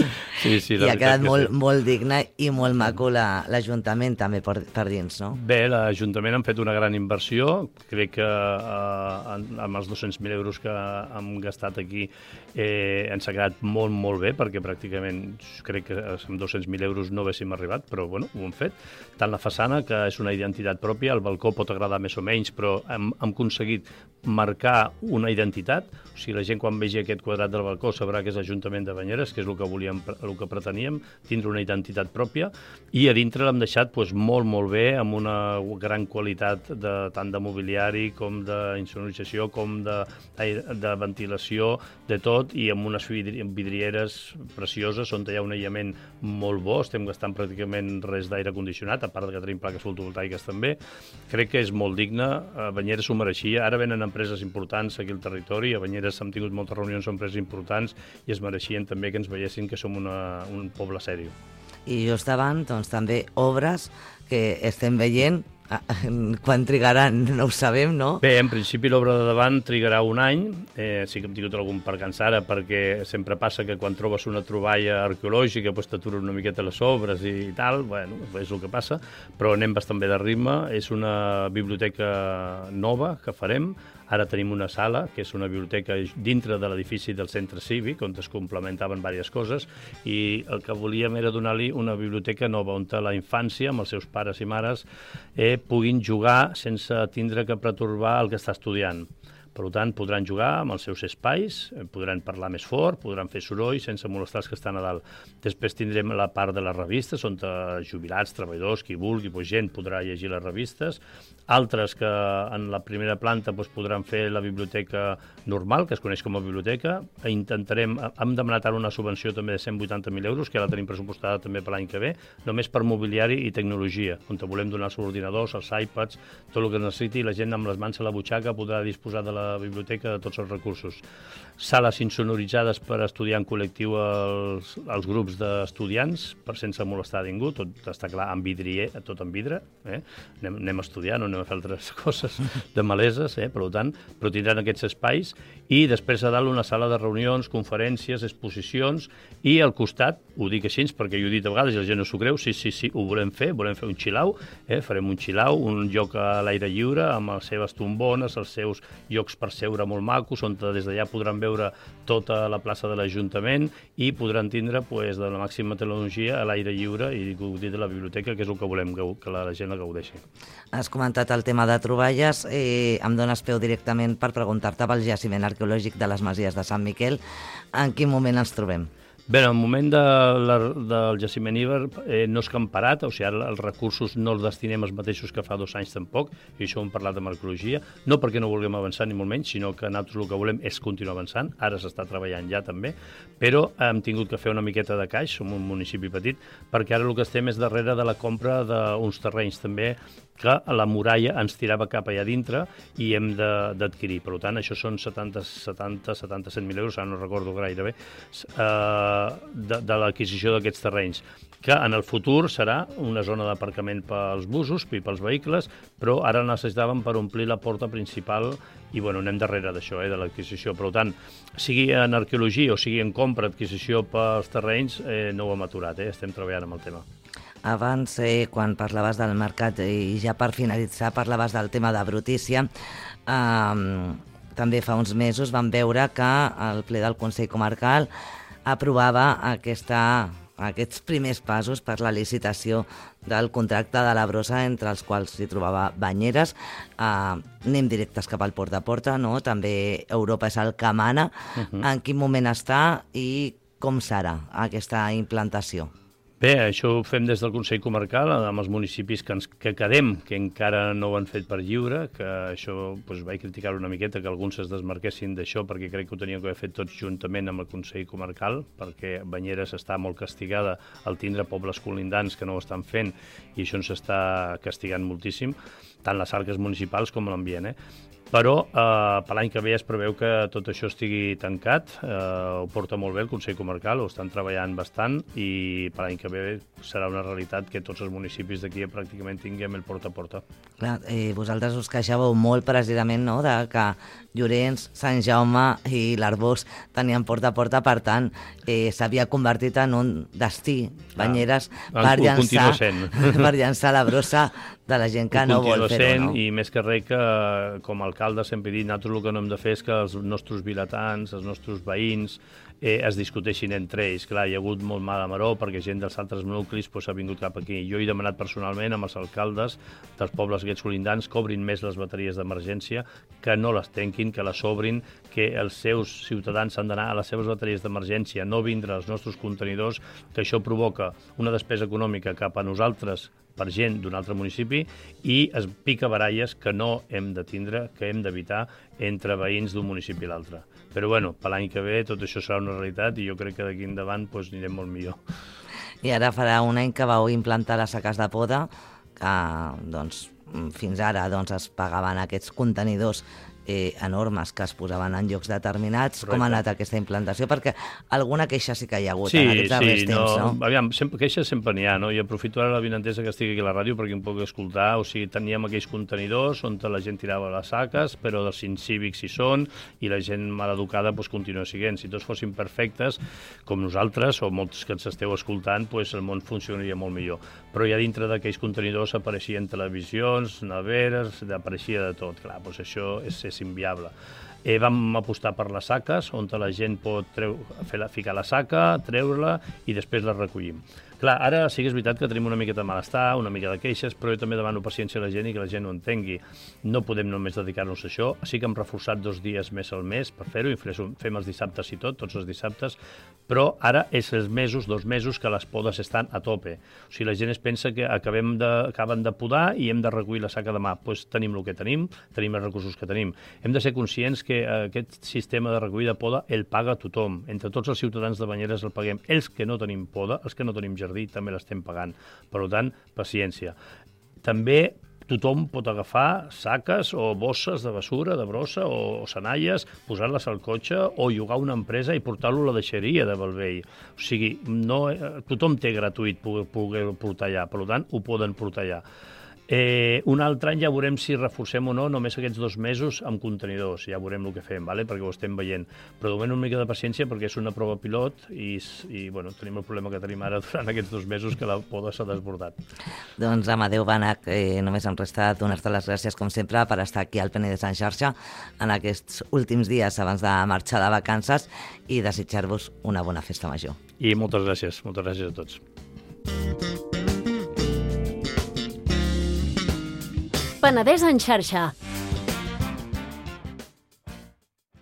sí, sí, i ha quedat molt, sí. molt digne i molt maco l'Ajuntament també per, per dins, no? Bé, l'Ajuntament han fet una gran inversió. Crec que eh, amb els dos-cents mil euros que hem gastat aquí eh, ens ha quedat molt, molt bé, perquè pràcticament crec que amb dos-cents mil euros no haguéssim arribat, però bueno, ho hem fet. Tant la façana, que és una identitat pròpia, el balcó pot agradar més o menys, però hem, hem aconseguit marcar una identitat. O sigui, la gent quan vegi aquest quadrat del balcó sabrà que és l'Ajuntament de Banyeres, que és el que volíem, el que preteníem, tindre una identitat pròpia, i a dintre l'hem deixat doncs, molt, molt bé, amb una gran qualitat de, tant de mobiliari com d'insonorització, com de, de ventilació, de tot, i amb unes vidrieres precioses on hi ha un aïllament molt bo. Estem gastant pràcticament res d'aire condicionat, a part que tenim plaques fotovoltaiques també. Crec que és molt digne, a Banyeres s'ho mereixia. Ara venen empreses importants aquí al territori, a Banyeres hem tingut moltes reunions amb empreses importants i es mereixien també que ens veiessin que som una, un poble sèrio. I just davant, doncs, també obres que estem veient. Quan trigaran no ho sabem, no? Bé, en principi l'obra de davant trigarà un any. Eh, sí que hem tingut algun percanç ara, perquè sempre passa que quan trobes una troballa arqueològica doncs t'aturen una miqueta les obres i tal. Bueno, és el que passa, però anem bastant bé de ritme. És una biblioteca nova que farem. Ara tenim una sala, que és una biblioteca dintre de l'edifici del centre cívic, on es complementaven diverses coses, i el que volíem era donar-li una biblioteca nova, on la infància, amb els seus pares i mares, eh, puguin jugar sense tindre que pertorbar el que està estudiant. Per tant, podran jugar amb els seus espais, podran parlar més fort, podran fer soroll sense molestar els que estan a dalt. Després tindrem la part de les revistes, on jubilats, treballadors, qui vulgui, doncs gent podrà llegir les revistes. Altres que en la primera planta doncs, podran fer la biblioteca normal, que es coneix com a biblioteca. Intentarem, hem demanat ara una subvenció també de cent vuitanta mil euros, que ja la tenim pressupostada també per l'any que ve, només per mobiliari i tecnologia, on volem donar els ordinadors, els iPads, tot el que necessiti, i la gent amb les mans a la butxaca podrà disposar de la la biblioteca de tots els recursos. Sales insonoritzades per estudiar en col·lectiu els, els grups d'estudiants, per sense molestar ningú, tot està clar, amb vidrier, tot en vidre, eh? anem, anem a estudiar, no anem a fer altres coses de maleses, eh? per tant, però tindran aquests espais, i després a dalt una sala de reunions, conferències, exposicions, i al costat, ho dic així perquè jo he dit a vegades i la gent no s'ho creu, sí, sí, sí, ho volem fer, volem fer un chilau, eh? farem un chilau, un lloc a l'aire lliure, amb les seves tombones, els seus llocs per seure molt macos, on des d'allà podran veure tota la plaça de l'Ajuntament i podran tindre pues, de la màxima tecnologia a l'aire lliure i gaudir de la biblioteca, que és el que volem, que la gent la gaudeixi. Has comentat el tema de troballes, eh, em dones peu directament per preguntar-te pel jaciment arqueològic de les Masies de Sant Miquel. En quin moment ens trobem? Bé, en el moment de la, del jaciment Iber eh, no és que hem parat, o sigui, ara els recursos no els destinem els mateixos que fa dos anys tampoc, i això ho hem parlat amb arqueologia, no perquè no vulguem avançar ni molt menys, sinó que nosaltres el que volem és continuar avançant, ara s'està treballant ja també, però hem tingut que fer una miqueta de caix, som un municipi petit, perquè ara el que estem és darrere de la compra d'uns terrenys també que la muralla ens tirava cap allà dintre i hem d'adquirir. Per tant, això són setanta, setanta, setanta-set mil euros, ara no recordo gaire bé, eh, de, de l'adquisició d'aquests terrenys, que en el futur serà una zona d'aparcament pels busos i pels vehicles, però ara necessitàvem per omplir la porta principal i bueno, anem darrere d'això, eh, de l'adquisició. Per tant, sigui en arqueologia o sigui en compra, adquisició pels terrenys, eh, no ho hem aturat, eh, estem treballant amb el tema. Abans, eh, quan parlaves del mercat i ja per finalitzar parlaves del tema de brutícia, eh, també fa uns mesos vam veure que el ple del Consell Comarcal aprovava aquesta, aquests primers passos per la licitació del contracte de la brossa, entre els quals s'hi trobava Banyeres. Eh, anem directes cap al porta a porta, no? També Europa és el que mana. Uh-huh. En quin moment està i com serà aquesta implantació? Bé, això ho fem des del Consell Comarcal, amb els municipis que, ens, que quedem, que encara no ho han fet per lliure, que això doncs, vaig criticar una miqueta, que alguns es desmarquessin d'això, perquè crec que ho teníem que haver fet tots juntament amb el Consell Comarcal, perquè Banyeres està molt castigada al tindre pobles colindants que no ho estan fent, i això ens està castigant moltíssim, tant les arques municipals com l'ambient, eh? Però eh, per l'any que ve es preveu que tot això estigui tancat, eh, ho porta molt bé el Consell Comarcal, ho estan treballant bastant i per l'any que ve serà una realitat que tots els municipis d'aquí pràcticament tinguem el porta a porta. Clar, eh, vosaltres us queixàveu molt precisament, no?, de que Llorenç, Sant Jaume i l'Arbós tenien porta a porta, per tant, eh, s'havia convertit en un destí, Banyeres, ah, per, llançar, per llançar llançar la brossa de la gent que no vol fer-ho. No? I més que res que, com a alcalde, sempre he dit, nosaltres el que no hem de fer és que els nostres vilatans, els nostres veïns, eh, es discuteixin entre ells. Clar, hi ha hagut molt mal a maró perquè gent dels altres nuclis pues, ha vingut cap aquí. Jo he demanat personalment amb els alcaldes dels pobles aquests colindants que obrin més les bateries d'emergència, que no les tanquin, que les obrin, que els seus ciutadans han d'anar a les seves bateries d'emergència, no vindre als nostres contenidors, que això provoca una despesa econòmica cap a nosaltres per gent d'un altre municipi i es pica baralles que no hem de tindre, que hem d'evitar entre veïns d'un municipi i l'altre. Però bueno, per l'any que ve tot això serà una realitat i jo crec que d'aquí endavant pues, anirem molt millor. I ara farà un any que vau implantar les saques de poda, que doncs, fins ara doncs, es pagaven aquests contenidors eh, enormes que es posaven en llocs determinats. Correcte. Com ha anat aquesta implantació? Perquè alguna queixa sí que hi ha hagut sí, en aquests darrers sí, temps, no? no? Aviam, sempre, queixes sempre n'hi ha, no? I aprofito ara la vinentesa que estigui aquí a la ràdio perquè em puc escoltar. O sigui, teníem aquells contenidors on la gent tirava les saques, però dels incívics hi són i la gent maleducada pues, continua siguent. Si tots fossin perfectes, com nosaltres, o molts que ens esteu escoltant, pues, el món funcionaria molt millor. Però ja dintre d'aquells contenidors apareixien televisions, neveres, apareixia de tot. Clar, doncs això és, és inviable. Eh, vam apostar per les saques, on la gent pot treu, fer la, ficar la saca, treure-la i després la recollim. Clar, ara sí que és veritat que tenim una miqueta de malestar, una mica de queixes, però jo també demano paciència a la gent i que la gent ho entengui. No podem només dedicar-nos a això. Sí que hem reforçat dos dies més al mes per fer-ho, i fem els dissabtes i tot, tots els dissabtes, però ara és els mesos, dos mesos, que les podes estan a tope. O sigui, la gent es pensa que acabem de, acaben de podar i hem de recollir la saca demà. Doncs pues tenim el que tenim, tenim els recursos que tenim. Hem de ser conscients que aquest sistema de recollida de poda el paga tothom. Entre tots els ciutadans de Banyeres el paguem. Els que no tenim poda, els que no tenim jardí, també l'estem pagant. Per tant, paciència. També tothom pot agafar saques o bosses de basura, de brossa o, o senalles, posar-les al cotxe o llogar una empresa i portar-lo a la deixeria de Bellvei. O sigui, no, tothom té gratuït poder, poder portar allà, per tant, ho poden portar allà. Eh, un altre any ja veurem si reforcem o no només aquests dos mesos amb contenidors, ja veurem el que fem, vale? Perquè ho estem veient. Però de moment una mica de paciència perquè és una prova pilot i, i bueno, tenim el problema que tenim ara durant aquests dos mesos que la poda s'ha desbordat. Doncs Amadeu Bànec, eh, només em resta donar-te les gràcies com sempre per estar aquí al Penedès en xarxa en aquests últims dies abans de marxar de vacances i desitjar-vos una bona festa major. I moltes gràcies, moltes gràcies a tots. Penedès en xarxa,